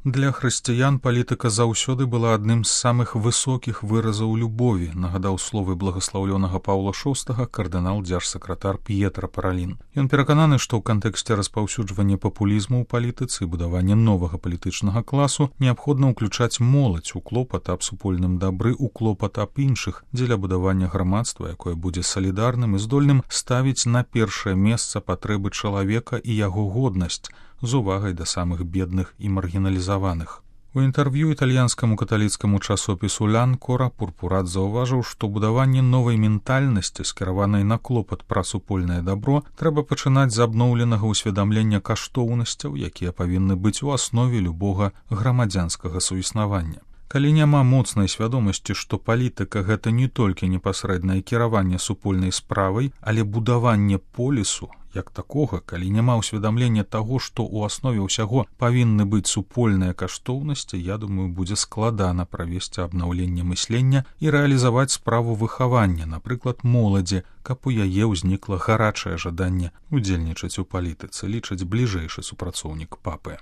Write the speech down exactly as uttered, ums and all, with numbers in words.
Для хрысціян палітыка заўсёды была адным з самых высокіх выразаў любові, нагадаў словы благаслаўлёнага Паўла шостага кардынал дзяржсакратар П'етра Паралін. Ён перакананы, што ў кантэксце распаўсюджвання папулізму ў палітыцы і будавання новага палітычнага класу неабходна ўключаць моладзь у клопат аб супольным дабры, у клопат аб іншых, дзеля будавання грамадства, якое будзе салідарным і здольным ставіць на першае месца патрэбы чалавека і яго годнасць, з увагай да самых бедных і маргіналізаваных. У інтэрв'ю італьянскаму каталіцкаму часопісу «Л'Анкора» Пурпурат заўважыў, што будаванне новай ментальнасці, скіраванай на клопат пра супольнае дабро, трэба пачынаць з абноўленага ўсведамлення каштоўнасцяў, якія павінны быць у аснове любога грамадзянскага суіснавання. Калі няма моцнай свядомасці, што палітыка — гэта не толькі непасрэднае кіраванне супольнай справай, але будаванне полісу, як такога, калі няма ўсведамлення таго, што ў аснове ўсяго павінны быць супольныя каштоўнасці, я думаю, будзе складана правесці абнаўленне мыслення і рэалізаваць справу выхавання, напрыклад, моладзі, каб у яе ўзнікла гарачае жаданне удзельнічаць у палітыцы, лічыць бліжэйшы супрацоўнік папы.